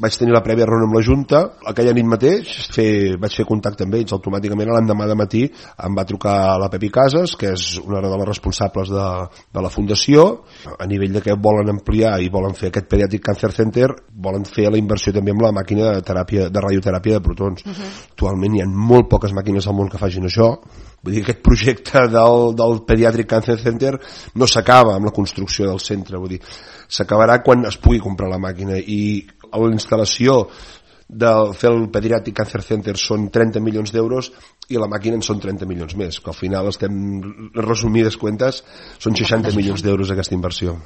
Vaig tenir la prèvia reunió amb la Junta, aquella nit mateix vaig fer contacte amb ells, automàticament l'endemà de matí em va trucar la Pepi Casas, que és una de les responsables de la fundació, a nivell de que volen ampliar i volen fer aquest Pediatric Cancer Center, volen fer la inversió també amb la màquina de radioteràpia de protons. Actualment hi ha molt poques màquines al món que facin això, vull dir que aquest projecte del Pediatric Cancer Center no s'acaba amb la construcció del centre, vull dir, s'acabarà quan es pugui comprar la màquina, i la instal·lació de fer el Pediatric Cancer Center són 30 milions d'euros i la màquina en són 30 milions més, que al final estem, resumides cuentes, són 60 milions d'euros aquesta inversió.